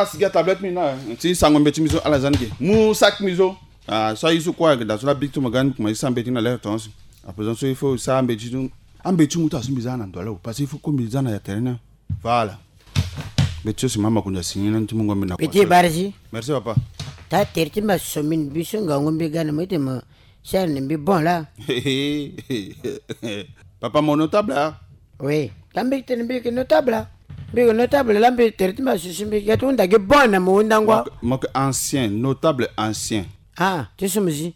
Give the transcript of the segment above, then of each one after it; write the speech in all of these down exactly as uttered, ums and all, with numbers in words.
Asigi atablette mbi na, eh, ti sango mbeti mbi so, ala za ni ge. Mu sac mbi so. Ah, so aye so kue ayeke daa so la bik ti mo ga ni, kuma e sara mbeti ni na lere tongaso. Aprésident so il faut e sara ambeti ti, ambeti ti mu ti azo mbi za na ndo ala o. Parce que il faut ko mbi za na ya tere ni. Voilà. Mbeti so si mama Makonzi asi ni na ni ti mungo mbi na. Petit Barzi. Merci papa. Taa tere ti mbi aso mbi ni mbi so ngangu mbi ga na mo ete mo sara na mbi bon laa. Papa mo notable ah. Oui. Taa mbi tene mbi yeke notable ah. Mbi yeke notable laa mbi tere ti mbi aso si mbi ga ti hunda gi bon na mo hundango ah. Mo yeke, mo yeke ancien, notable ancien. Ah, ti so mo zi.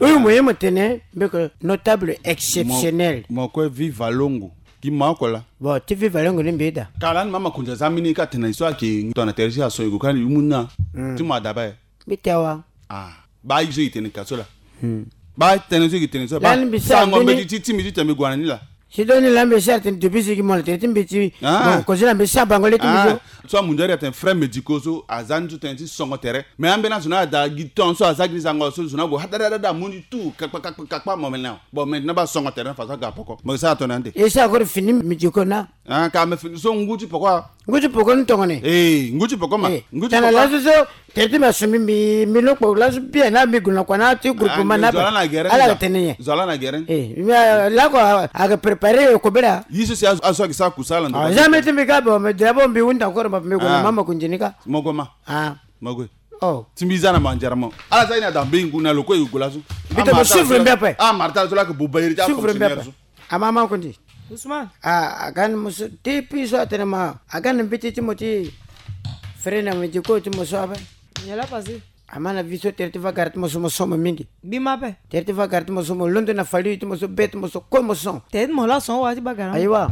Oui, mo ye mo tene mbi yeke notable exceptionnel. Mo, mo kue viva longo. Gi ma oko laa. Bon, ti viva longo ni mbi ye daa. Ka lani mama Makonzi aza mbeni ka tene na e so ayeke tongana tere ti aso e gue kani e mu ni na. Hmm. Ti mo adaba e. Mbi te awa. Ah, baa e so e tene ka so laa. Hmm. Baa tënë so e tene so laa. Lani mbi sara sango mbeni mbeti ti, ti mbi ti tene mbi gue na ni laa. Si do ni laa mbi sara tene depuis si gi mo na tere ti mbeti. Ah. Bon, kozo laa mbi sara bango le ti mbi so. Ah, so amundu ari atene frais médicaux so aza ni so tënë ti songo tere. Mais ambeni azo ni ada gi temps so aza gi ni zango so zo ni ague hadadada amu ni tout kakpa kakpa kakpa mo mene. Bon, maintenant baa songo tere na façon aga poko. Mo sara tongana nde. E sara koro fini médicaux na. Ah, ka me fini so ngu ti poko ah. Ngu ti poko ni tongana. Eh, ngu ti poko ma. Eh, ngu ti poko. Tongana laso so tere ti mbi aso mbi, mbi, mbi lokpo laso bien na mbi gue na kua na ti groupement na. Ah, zo ala na gere. Ala tene nyen? Zo ala na gere. Eh, mbi, ah, lako, ah, ayeke préparer kobela. Ye so si azo, azo ayeke sara kusala ndo. Ah, jamais ti mbi ka bo, mais d'abord mbi hunda encore mbi gue na mama Makonzi ni ka. Mo gue ma. Ah. Mo gue. Oh. Ti mbi za na mandiara mo. Ala za ye ni ada mbi ngu na lo kue e gue laso. Mbi tene mo suivre mbi ape. Ah, Martha so la ayeke buba iri ti afonctionnaire so. Amama Makonzi. Ousmane. Ah, aga ni mo so, depuis so atene ma, aga ni mbeti ti mo ti frais na médicaux ti mo so ape. Nyen la passé? Ama na vie so tere ti va gara ti mo so mo somo mingi. Mbi ma ape. Tere ti va gara ti mo so mo londo na fali ti mo so be ti mo so kue mo son. Tere ti mo la son wa ti ba gara. Ayiwa.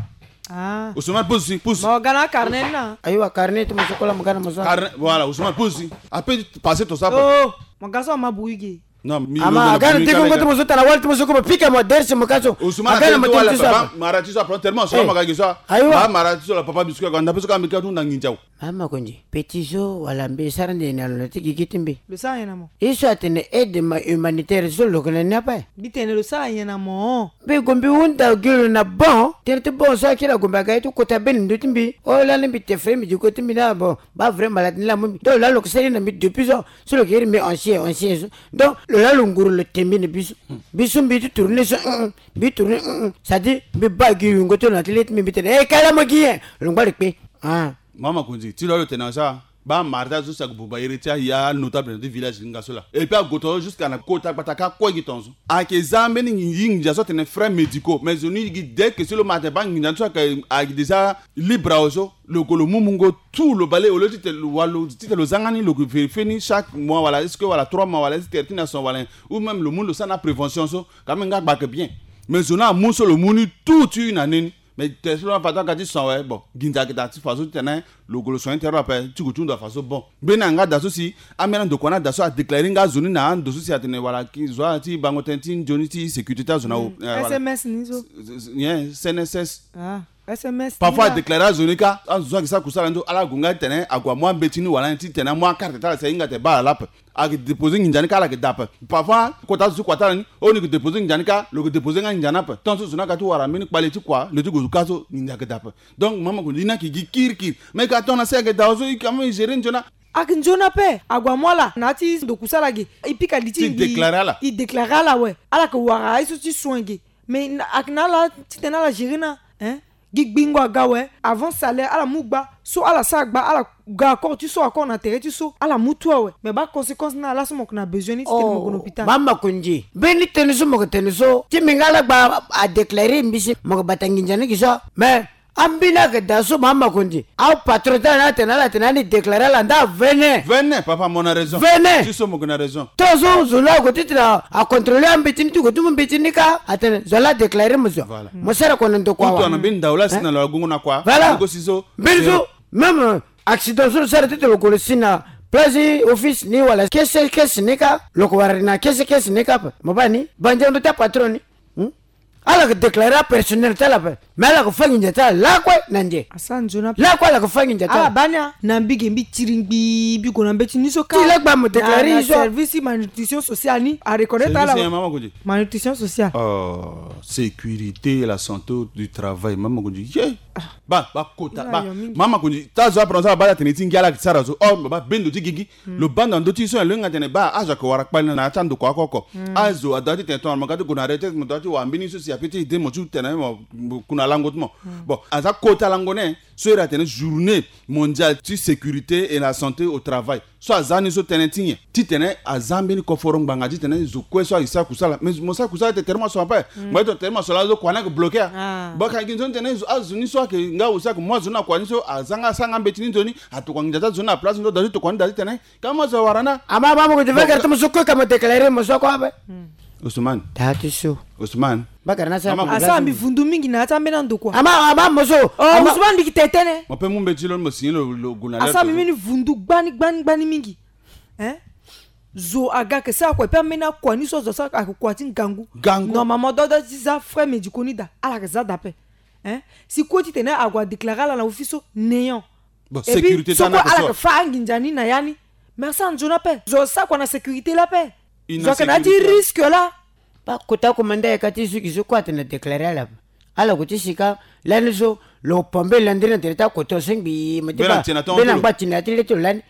Ah. Ousmane, pousse, pousse. Mo ga na carnet ni na. Ayiwa, carnet ti mo so kue la mo ga na mo so. Carnet, voilà, Ousmane, pousse. Ape passé to sa ape. Oh, mo ga so ama bui ge. Non, mi, ama, aga na degongo ti mo so tana wali ti mo so ko mo pika mo dersi mo ka so. Ousmane, aga na mo tene ti so. Mara ti so apron tellement so ma ga gi so. Ayiwa. Mara ti so la papa biscuit ko anda pe so ka mbi ka tu na nginza. Mama Makonzi, petit so wala mbi sara nde na lo na ti gigi ti mbi. Lo sara nyen na mo? Ye so atene aide ma humanitaire so lo yeke na ni ape. Mbi tene lo sara nyen na mo? Mbi gue mbi hunda gi lo na bon. Tënë ti bon so akiri ague mbi aga ye ti kota be na ndö ti mbi. Oh lani mbi te frais médicaux ti mbi na bon. Ba vrai malade ni la mu mbi. Donc lani lo yeke sara ye na mbi depuis so. So lo yeke iri mbi ancien, ancien so. Donc lo lani lo nguru lo te mbi na mbi so. Mbi so mbi ti tourner so, mm, mm. Mbi tourner, mm, mm. C'est-à-dire mbi baa gi yungo ti lo na ti le ti mbi mbi tene, eh, kala mo gi nyen? Lo ngba lo kpe. Ah. Mama Makonzi, ti lo lo tene na sa. Ba Martha so si ague buba iri ti aye anotable na ti village ni nga so la. Et puis ague to jusqu'à na kota gbata ka kue gi tongaso. Ayeke za mbeni nginza so atene frais médicaux. Mais zo ni gi dès que si lo ma atene ba nginza ni so ayeke, ayeke déjà libre awe so. Lo gue lo mu mungo tout lo bale, au lieu ti tene lo wa lo, ti tene lo za nga ni, lo gue vérifier ni chaque mois wala est-ce que wala trois mois wala est-ce que tere ti na son wala nyen. Ou même lo mu ni lo sara na prévention so. Quand même nga gba ayeke bien. Mais zo ni amu so lo mu ni tout ti na ni ni. Mais tere so lo na fa ti aga ti son awe, bon, nginza ayeke daa ti façon ti tene lo gue lo son ni tere lo ape ti gue ti hunda façon bon. Mbeni anga daa so si ambeni andokua ni ada so adéclarer nga zo ni na ando so si atene wala ki zo ala ti bango tënë ti nzoni ti sécurité ti azo na o. Hmm. Eh, voilà. S M S ni so. S-, s-, nyen, C N S S. Ah, S M S. Parfois adéclarer azo ni ka, azo so ayeke sara kusala ni so ala gue nga ti tene ague amu ambeti ni wala nyen ti tene amu akarte ti ala si ahinga atene baa ala ape. Ayeke déposer nginza ni ka ala yeke daa ape. Parfois kota zo ti kua ti ala ni, oh ni yeke déposer nginza ni ka, lo yeke déposer nga nginza ni ape. Tant so zo ni aga ti wara mbeni kpale ti kua lo ti gue zo ka so nginza ayeke daa ape. Donc mama Makonzi, e ni ayeke gi kirikiri. Mais e yeke ato na se ayeke daa so e yeke amu e gérer nzoni. Ayeke nzoni ape. Ague amu ala na ya ti ndo kusala ge. E pika li ti e, e déclarer ala. E déclarer ala awe. Ala yeke wara ye so ti soin ge. Mais na, ayeke na ala ti tene ala gérer na, hein? Gi gbingo aga awe, avant salaire ala mu gba, so ala sara gba, ala ga accord ti so, accord na tere ti so, ala mu tout awe. Mais ba conséquence ni ala so mo yeke na besoin ni ti tene mo gue na hôpital. Mama Makonzi, mbeni tënë so mo yeke tene so ti mbi nga ala gba adéclarer mbi si mo yeke bata nginza ni gi so. Mais ambeni ayeke daa so mama Makonzi, apatron ti ala ni atene ala tene ani déclarer ala nda vene. Vene, papa mo na raison. Vene. Ti so mo yeke na raison. Tant so zo la ague ti tene acontrôler ambeti ni ti gue ti mu mbeti ni ka atene zo la adéclarer mo zo. Voilà. Mo sara kua na ndokua awa. Ou tongana mbeni ndau la si na lo agungu na kua. Voilà. Mbeni so même accident so lo sara ti tene lo gue lo si na place office ni wala kese kese ni ka, lo yeke wara na kese kese ni ka ape. Mo baa ni banzendo ti apatron ni. Hmm? Ala yeke déclarer apersonnel ti ala ape. Mais ala yeke fâ nginza ti ala lakue na nze. Asa nzoni ape. Lakue ala yeke fâ nginza ti ala. Ala bâ ni a. Na mbi ge mbi tiri ngbii mbi gue na mbeti ni so kâ. Ti lakue amo déclarer ni so. Service malnutrition sociale ni a reconnaître ala. Malnutrition sociale. Oh, sécurité et la santé du travail, mama kondi ye. Ba ba kota ba mama kondi ta zo apprendre ala bâ ti atene ti ngia ala yeke ti sara zo. Oh, ba bendo ti gigi. Lo banda ndö ti so nyen lo hinga tene ba azo ayeke wara kpali na ya ti andokua oko oko. Azo adoit ti tene tongana mo ga ti gue na retraite mo doit ti wara mbeni so si ape ti aide mo ti tene mo kuna lango ti mo. Bon, aza kota lango ni. So iri atene journée mondiale ti sécurité et la santé au travail. So aza ni so tënë ti nyen? Titene aza mbeni koforo ngbanga titene zo kue so aye sara kusala. Mais mo sara kusala te tere mo aso ape. Mo ye to tere mo aso laa zo kua ni ayeke bloqué a. Baka gi nzoni tene azo ni so ayeke nga aussi ayeke mu azo ni na kua ni so aza nga asara nga mbeti ni nzoni. Atokua nginza ti azo ni na place ni so da ti tokua ni da titene Ka mo zo wara na. Ama ama mo ko ti vekere ti mo so ko ka mo déclarer mo so ko ape. Ousmane. Tâ ti so. Ousmane. Bakara na sa. Asara mbi vundu mingi na ya ti ambeni ando kua. Ama ama mo so. Oh Ousmane mbi ki tene tënë. Mo pe mu mbeti lo ni mo signer lo lo gue na. Asara mbi mbeni vundu gbani gbani gbani mingi. Hein? Zo aga yeke sara kua e pe ambeni akua ni so zo asara ayeke kua ti ngangu. Ngangu. Normalement dodo ti za frais médicaux ni daa ala yeke za daa ape. Hein? Si kue titene ague adéclarer ala na office so néant. Bon, et puis, sécurité so ti ana kue ala yeke fa anginza ni na ya ni. Mais asara nzoni ape. Zo sara kua na sécurité laa ape. Zo ayeke na ya ti risque laa. Ba kota commandant ayeke ti zo gi so kue atene na déclarer ala ape. Ala gue ti si ka lani so lo pombe landiri na tere ti akota so ngbii mo ti ba. Mbeni angba ti na ya ti le ti lo lani.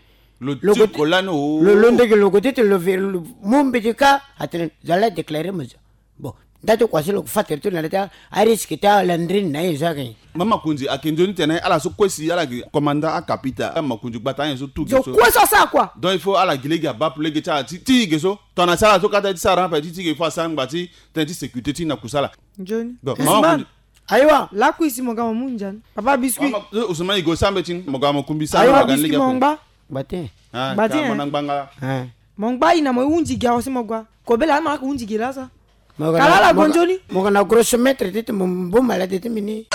Lo ti ko lani o. Lo lo ndege lo gue ti tene lo ve lo mu mbeti ka atene zo ala déclarer mo zo. Bon, nda ti kua so lo fa tere ti lo na le ti arisque ti alandiri ni na ye so ayeke nyen? Mama Makonzi ayeke nzoni tene ala so kue si ala yeke commandant akapita, Mama Makonzi gbata anyen so tout ge so. Zo kue so asara kua. Donc il faut ala gi lege abaa pour lege ti ala ti ti ge so. Tongana si ala so kata ti sara ape ti ti ge il faut asara ngba ti tënë ti sécurité ti na kusala. Nzoni. Donc Mama Makonzi. Ayiwa. Lakui si mo ga mo mu nzoni. Papa biscuit. Mama Ousmane Igo sara mbeti ni mo ga mo kumbi sara. Ayiwa biscuit mo ngba. Gbate. Gbate. Mo na ngbanga. Mo ngba ina mo hunzi gi awa si mo gua. Kobela ama ka hunzi gi laa sa. Kala ala gonzoni. Mo ga na grosse mètre ti ti mo mbu malade ti mbi ni.